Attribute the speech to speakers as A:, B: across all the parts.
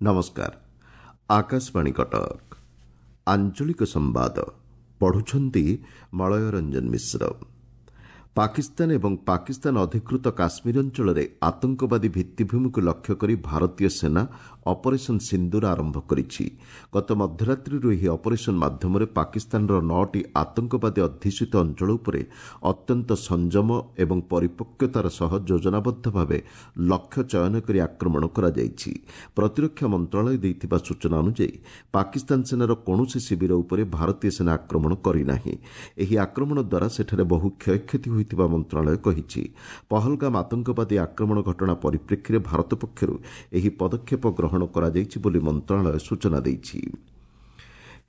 A: ନମସ୍କାର, ଆକାଶବାଣୀ କଟକ। ଆଞ୍ଚଳିକ ସମ୍ବାଦ ପଢୁଛନ୍ତି ମଳୟ ରଞ୍ଜନ ମିଶ୍ର। ପାକିସ୍ତାନ ଏବଂ ପାକିସ୍ତାନ ଅଧିକୃତ କାଶ୍ମୀର ଅଞ୍ଚଳରେ ଆତଙ୍କବାଦୀ ଭିତ୍ତିଭୂମିକୁ ଲକ୍ଷ୍ୟ କରି ଭାରତୀୟ ସେନା ଅପରେସନ୍ ସିନ୍ଦୁର ଆରମ୍ଭ କରିଛି। ଗତ ମଧ୍ୟରାତ୍ରିରୁ ଏହି ଅପରେସନ୍ ମାଧ୍ୟମରେ ପାକିସ୍ତାନର 9ଟି ଆତଙ୍କବାଦୀ ଅଧ୍ୟୁଷିତ ଅଞ୍ଚଳ ଉପରେ ଅତ୍ୟନ୍ତ ସଂଯମ ଏବଂ ପରିପକ୍ୱତାର ସହ ଯୋଜନାବଦ୍ଧ ଭାବେ ଲକ୍ଷ୍ୟ ଚୟନ କରି ଆକ୍ରମଣ କରାଯାଇଛି। ପ୍ରତିରକ୍ଷା ମନ୍ତ୍ରଣାଳୟ ଦେଇଥିବା ସୂଚନା ଅନୁଯାୟୀ, ପାକିସ୍ତାନ ସେନାର କୌଣସି ଶିବିର ଉପରେ ଭାରତୀୟ ସେନା ଆକ୍ରମଣ କରିନାହିଁ। ଏହି ଆକ୍ରମଣ ଦ୍ୱାରା ସେଠାରେ ବହୁ କ୍ଷୟକ୍ଷତି ହୋଇଥିବା ମନ୍ତ୍ରଣାଳୟ କହିଛି। ପହଲଗାମ ଆତଙ୍କବାଦୀ ଆକ୍ରମଣ ଘଟଣା ପରିପ୍ରେକ୍ଷୀରେ ଭାରତ ପକ୍ଷରୁ ଏହି ପଦକ୍ଷେପ ଗ୍ରହଣ କରାଯାଇଛି ବୋଲି ମନ୍ତ୍ରଣାଳୟ ସୂଚନା ଦେଇଛି।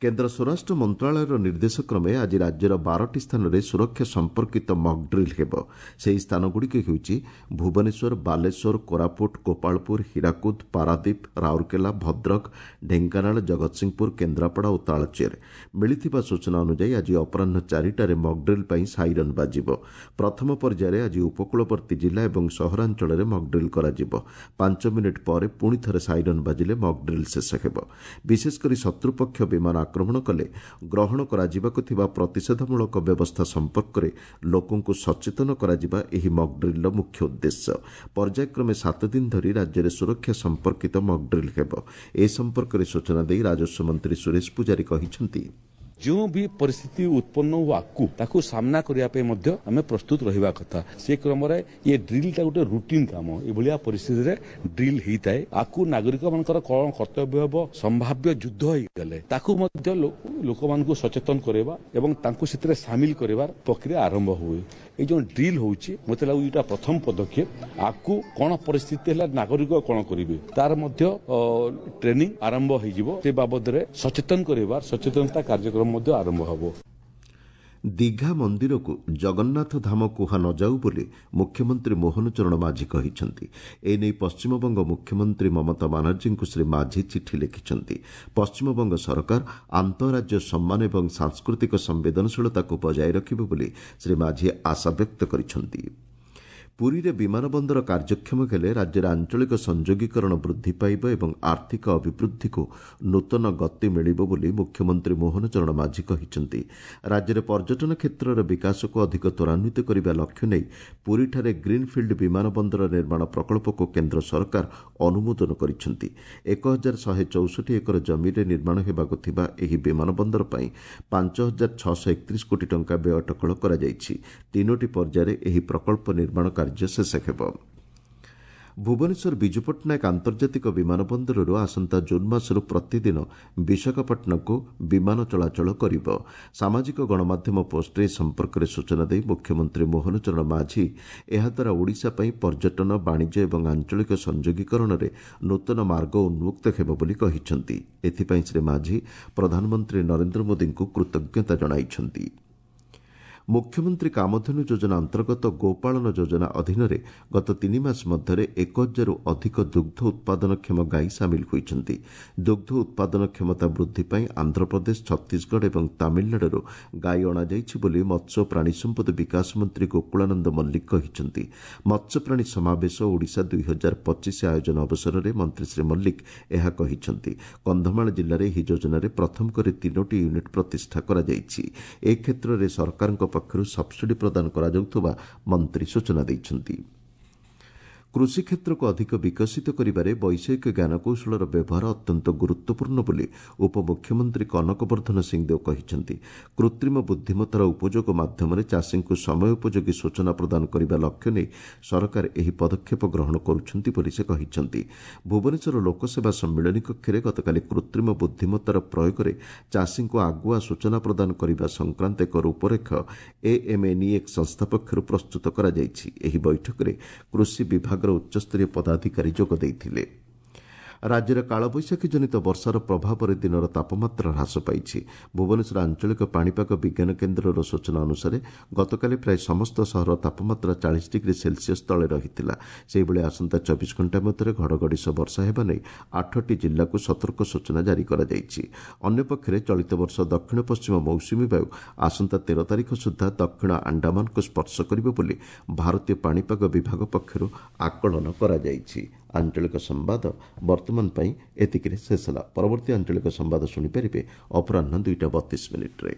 A: କେନ୍ଦ୍ର ସ୍ୱରାଷ୍ଟ୍ର ମନ୍ତ୍ରଣାଳୟର ନିର୍ଦ୍ଦେଶକ୍ରମେ ଆଜି ରାଜ୍ୟର 12ଟି ସ୍ଥାନରେ ସୁରକ୍ଷା ସମ୍ପର୍କିତ ମକ୍ଡ୍ରିଲ୍ ହେବ। ସେହି ସ୍ଥାନଗୁଡ଼ିକ ହେଉଛି ଭୁବନେଶ୍ୱର, ବାଲେଶ୍ୱର, କୋରାପୁଟ, ଗୋପାଳପୁର, ହୀରାକୁଦ, ପାରାଦୀପ, ରାଉରକେଲା, ଭଦ୍ରକ, ଢେଙ୍କାନାଳ, ଜଗତସିଂହପୁର, କେନ୍ଦ୍ରାପଡ଼ା ଓ ତାଳଚେର। ମିଳିଥିବା ସୂଚନା ଅନୁଯାୟୀ, ଆଜି ଅପରାହ୍ନ 4ଟାରେ ମକ୍ଡ୍ରିଲ୍ ପାଇଁ ସାଇରନ୍ ବାଜିବ। ପ୍ରଥମ ପର୍ଯ୍ୟାୟରେ ଆଜି ଉପକୂଳବର୍ତ୍ତୀ ଜିଲ୍ଲା ଏବଂ ସହରାଞ୍ଚଳରେ ମକ୍ଡ୍ରିଲ୍ କରାଯିବ। 5 ମିନିଟ୍ ପରେ ପୁଣି ଥରେ ସାଇରନ୍ ବାଜିଲେ ମକ୍ଡ୍ରିଲ୍ ଶେଷ ହେବ। ବିଶେଷକରି ଶତ୍ରୁପକ୍ଷ ବିମାନ ଆକ୍ରମଣ କଲେ ଗ୍ରହଣ କରାଯିବାକୁ ଥିବା ପ୍ରତିଷେଧମୂଳକ ବ୍ୟବସ୍ଥା ସମ୍ପର୍କରେ ଲୋକଙ୍କୁ ସଚେତନ କରାଯିବା ଏହି ମକ୍ଡ୍ରିଲ୍ର ମୁଖ୍ୟ ଉଦ୍ଦେଶ୍ୟ। ପର୍ଯ୍ୟାୟକ୍ରମେ 7 ଦିନ ଧରି ରାଜ୍ୟରେ ସୁରକ୍ଷା ସମ୍ପର୍କିତ ମକ୍ଡ୍ରିଲ୍ ହେବ। ଏ ସମ୍ପର୍କରେ ସୂଚନା ଦେଇ ରାଜସ୍ୱ ମନ୍ତ୍ରୀ ସୁରେଶ ପୂଜାରୀ କହିଛନ୍ତି,
B: ଯେଉଁ ବି ପରିସ୍ଥିତି ଉତ୍ପନ୍ନ ହଉ ଆଗକୁ, ତାକୁ ସାମ୍ନା କରିବା ପାଇଁ ମଧ୍ୟ ଆମେ ପ୍ରସ୍ତୁତ ରହିବା କଥା। ସେ କ୍ରମରେ ଏ ଡ୍ରିଲଟା ଗୋଟେ ରୁଟିନ କାମ। ଏଭଳିଆ ପରିସ୍ଥିତିରେ ଡ୍ରିଲ୍ ହେଇଥାଏ। ଆକୁ ନାଗରିକମାନଙ୍କର କଣ କର୍ତ୍ତବ୍ୟ ହେବ, ସମ୍ଭାବ୍ୟ ଯୁଦ୍ଧ ହେଇଗଲେ ତାକୁ ମଧ୍ୟ ଲୋକମାନଙ୍କୁ ସଚେତନ କରିବା ଏବଂ ତାଙ୍କୁ ସେଥିରେ ସାମିଲ କରିବାର ପ୍ରକ୍ରିୟା ଆରମ୍ଭ ହୁଏ। ଏଇ ଯେଉଁ ଡ୍ରିଲ୍ ହଉଛି, ମୋତେ ଲାଗୁଛି ଏଇଟା ପ୍ରଥମ ପଦକ୍ଷେପ। ଆଗକୁ କଣ ପରିସ୍ଥିତି ହେଲା ନାଗରିକ କଣ କରିବେ, ତାର ମଧ୍ୟ ଟ୍ରେନିଂ ଆରମ୍ଭ ହେଇଯିବ। ସେ ବାବଦରେ ସଚେତନ କରିବାର ସଚେତନତା କାର୍ଯ୍ୟକ୍ରମ ମଧ୍ୟ ଆରମ୍ଭ ହେବ।
A: ଦୀଘା ମନ୍ଦିରକୁ ଜଗନ୍ନାଥ ଧାମ କୁହା ନଯାଉ ବୋଲି ମୁଖ୍ୟମନ୍ତ୍ରୀ ମୋହନ ଚରଣ ମାଝୀ କହିଛନ୍ତି। ଏନେଇ ପଶ୍ଚିମବଙ୍ଗ ମୁଖ୍ୟମନ୍ତ୍ରୀ ମମତା ବାନାର୍ଜୀଙ୍କୁ ଶ୍ରୀ ମାଝୀ ଚିଠି ଲେଖିଛନ୍ତି। ପଶ୍ଚିମବଙ୍ଗ ସରକାର ଆନ୍ତଃରାଜ୍ୟ ସମ୍ମାନ ଏବଂ ସାଂସ୍କୃତିକ ସମ୍ବେଦନଶୀଳତାକୁ ବଜାୟ ରଖିବେ ବୋଲି ଶ୍ରୀ ମାଝୀ ଆଶାବ୍ୟକ୍ତ କରିଛନ୍ତି। ପୁରୀରେ ବିମାନ ବନ୍ଦର କାର୍ଯ୍ୟକ୍ଷମ ହେଲେ ରାଜ୍ୟରେ ଆଞ୍ଚଳିକ ସଂଯୋଗୀକରଣ ବୃଦ୍ଧି ପାଇବ ଏବଂ ଆର୍ଥିକ ଅଭିବୃଦ୍ଧିକୁ ନୂତନ ଗତି ମିଳିବ ବୋଲି ମୁଖ୍ୟମନ୍ତ୍ରୀ ମୋହନ ଚରଣ ମାଝୀ କହିଛନ୍ତି। ରାଜ୍ୟରେ ପର୍ଯ୍ୟଟନ କ୍ଷେତ୍ରର ବିକାଶକୁ ଅଧିକ ତ୍ୱରାନ୍ୱିତ କରିବା ଲକ୍ଷ୍ୟ ନେଇ ପୁରୀଠାରେ ଗ୍ରୀନ୍ଫିଲ୍ଡ ବିମାନ ବନ୍ଦର ନିର୍ମାଣ ପ୍ରକଳ୍ପକୁ କେନ୍ଦ୍ର ସରକାର ଅନୁମୋଦନ କରିଛନ୍ତି। 1164 ଏକର ଜମିରେ ନିର୍ମାଣ ହେବାକୁ ଥିବା ଏହି ବିମାନ ବନ୍ଦର ପାଇଁ 5631 କୋଟି ଟଙ୍କା ବ୍ୟୟ ଅଟକଳ କରାଯାଇଛି। 3ଟି ପର୍ଯ୍ୟାୟରେ ଏହି ପ୍ରକଳ୍ପ ନିର୍ମାଣ କାର୍ଯ୍ୟ ଶେଷ ହେବ। ଭୁବନେଶ୍ୱର ବିଜୁ ପଟ୍ଟନାୟକ ଆନ୍ତର୍ଜାତିକ ବିମାନ ବନ୍ଦରରୁ ଆସନ୍ତା ଜୁନ୍ ମାସରୁ ପ୍ରତିଦିନ ବିଶାଖାପାଟଣାକୁ ବିମାନ ଚଳାଚଳ କରିବ। ସାମାଜିକ ଗଣମାଧ୍ୟମ ପୋଷ୍ଟରେ ଏ ସମ୍ପର୍କରେ ସୂଚନା ଦେଇ ମୁଖ୍ୟମନ୍ତ୍ରୀ ମୋହନ ଚରଣ ମାଝୀ ଏହାଦ୍ୱାରା ଓଡ଼ିଶା ପାଇଁ ପର୍ଯ୍ୟଟନ, ବାଣିଜ୍ୟ ଏବଂ ଆଞ୍ଚଳିକ ସଂଯୋଗୀକରଣରେ ନୂତନ ମାର୍ଗ ଉନ୍ମୁକ୍ତ ହେବ ବୋଲି କହିଛନ୍ତି। ଏଥିପାଇଁ ଶ୍ରୀ ମାଝୀ ପ୍ରଧାନମନ୍ତ୍ରୀ ନରେନ୍ଦ୍ର ମୋଦିଙ୍କୁ କୃତଜ୍ଞତା ଜଣାଇଛନ୍ତି। ମୁଖ୍ୟମନ୍ତ୍ରୀ କାମଧେନୁ ଯୋଜନା ଅନ୍ତର୍ଗତ ଗୋପାଳନ ଯୋଜନା ଅଧୀନରେ ଗତ 3 ମାସ ମଧ୍ୟରେ 1000ରୁ ଅଧିକ ଦୁଗ୍ଧ ଉତ୍ପାଦନକ୍ଷମ ଗାଈ ସାମିଲ ହୋଇଛନ୍ତି। ଦୁଗ୍ଧ ଉତ୍ପାଦନ କ୍ଷମତା ବୃଦ୍ଧି ପାଇଁ ଆନ୍ଧ୍ରପ୍ରଦେଶ, ଛତିଶଗଡ଼ ଏବଂ ତାମିଲନାଡୁରୁ ଗାଈ ଅଣାଯାଇଛି ବୋଲି ମତ୍ସ୍ୟ ଓ ପ୍ରାଣୀ ସମ୍ପଦ ବିକାଶ ମନ୍ତ୍ରୀ ଗୋକୁଳାନନ୍ଦ ମଲ୍ଲିକ କହିଛନ୍ତି। ମତ୍ସ୍ୟପ୍ରାଣୀ ସମାବେଶ ଓଡ଼ିଶା 2025 ଆୟୋଜନ ଅବସରରେ ମନ୍ତ୍ରୀ ଶ୍ରୀ ମଲ୍ଲିକ ଏହା କହିଛନ୍ତି। କନ୍ଧମାଳ ଜିଲ୍ଲାରେ ଏହି ଯୋଜନାରେ ପ୍ରଥମ କରି 3ଟି ୟୁନିଟ୍ ପ୍ରତିଷ୍ଠା କରାଯାଇଛି। ଏ କ୍ଷେତ୍ରରେ ସରକାରଙ୍କ ପକ୍ଷରୁ ସବ୍ସିଡି ପ୍ରଦାନ କରାଯାଉଥିବା ମନ୍ତ୍ରୀ ସୂଚନା ଦେଇଛନ୍ତି। କୃଷି କ୍ଷେତ୍ରକୁ ଅଧିକ ବିକଶିତ କରିବାରେ ବୈଷୟିକ ଜ୍ଞାନକୌଶଳର ବ୍ୟବହାର ଅତ୍ୟନ୍ତ ଗୁରୁତ୍ୱପୂର୍ଣ୍ଣ ବୋଲି ଉପମୁଖ୍ୟମନ୍ତ୍ରୀ କନକ ବର୍ଦ୍ଧନ ସିଂଦେଓ କହିଛନ୍ତି। କୃତ୍ରିମ ବୁଦ୍ଧିମତ୍ତାର ଉପଯୋଗ ମାଧ୍ୟମରେ ଚାଷୀଙ୍କୁ ସମୟ ଉପଯୋଗୀ ସୂଚନା ପ୍ରଦାନ କରିବା ଲକ୍ଷ୍ୟ ନେଇ ସରକାର ଏହି ପଦକ୍ଷେପ ଗ୍ରହଣ କରୁଛନ୍ତି ବୋଲି ସେ କହିଛନ୍ତି। ଭୁବନେଶ୍ୱର ଲୋକସେବା ସମ୍ମିଳନୀ କକ୍ଷରେ ଗତକାଲି କୃତ୍ରିମ ବୁଦ୍ଧିମତ୍ତାର ପ୍ରୟୋଗରେ ଚାଷୀଙ୍କୁ ଆଗୁଆ ସୂଚନା ପ୍ରଦାନ କରିବା ସଂକ୍ରାନ୍ତ ଏକ ରୂପରେଖ ଏଏମ୍ଏନ୍ଇଏକ୍ସ ସଂସ୍ଥା ପକ୍ଷରୁ ପ୍ରସ୍ତୁତ କରାଯାଇଛି। ଏହି ବୈଠକରେ କୃଷି ବିଭାଗ ଉଚ୍ଚସ୍ତରୀୟ ପଦାଧିକାରୀ ଯୋଗ ଦେଇଥିଲେ। ରାଜ୍ୟରେ କାଳବୈଶାଖୀ ଜନିତ ବର୍ଷାର ପ୍ରଭାବରେ ଦିନର ତାପମାତ୍ରା ହ୍ରାସ ପାଇଛି। ଭୁବନେଶ୍ୱର ଆଞ୍ଚଳିକ ପାଣିପାଗ ବିଜ୍ଞାନ କେନ୍ଦ୍ରର ସୂଚନା ଅନୁସାରେ, ଗତକାଲି ପ୍ରାୟ ସମସ୍ତ ସହରର ତାପମାତ୍ରା 40 ଡିଗ୍ରୀ ସେଲସିୟସ୍ ତଳେ ରହିଥିଲା। ସେହିଭଳି ଆସନ୍ତା 24 ଘଣ୍ଟା ମଧ୍ୟରେ ଘଡ଼ଘଡ଼ି ସହ ବର୍ଷା ହେବା ନେଇ 8ଟି ଜିଲ୍ଲାକୁ ସତର୍କ ସୂଚନା ଜାରି କରାଯାଇଛି। ଅନ୍ୟପକ୍ଷରେ ଚଳିତ ବର୍ଷ ଦକ୍ଷିଣ ପଶ୍ଚିମ ମୌସୁମୀ ବାୟୁ ଆସନ୍ତା 13 ତାରିଖ ସୁଦ୍ଧା ଦକ୍ଷିଣ ଆଣ୍ଡାମାନକୁ ସ୍ପର୍ଶ କରିବ ବୋଲି ଭାରତୀୟ ପାଣିପାଗ ବିଭାଗ ପକ୍ଷରୁ ଆକଳନ କରାଯାଇଛି। ଆଞ୍ଚଳିକ ସମ୍ବାଦ ବର୍ତ୍ତମାନ ପାଇଁ ଏତିକିରେ ଶେଷ ହେଲା। ପରବର୍ତ୍ତୀ ଆଞ୍ଚଳିକ ସମ୍ବାଦ ଶୁଣିପାରିବେ ଅପରାହ୍ନ 2ଟା 32 ମିନିଟ୍ରେ।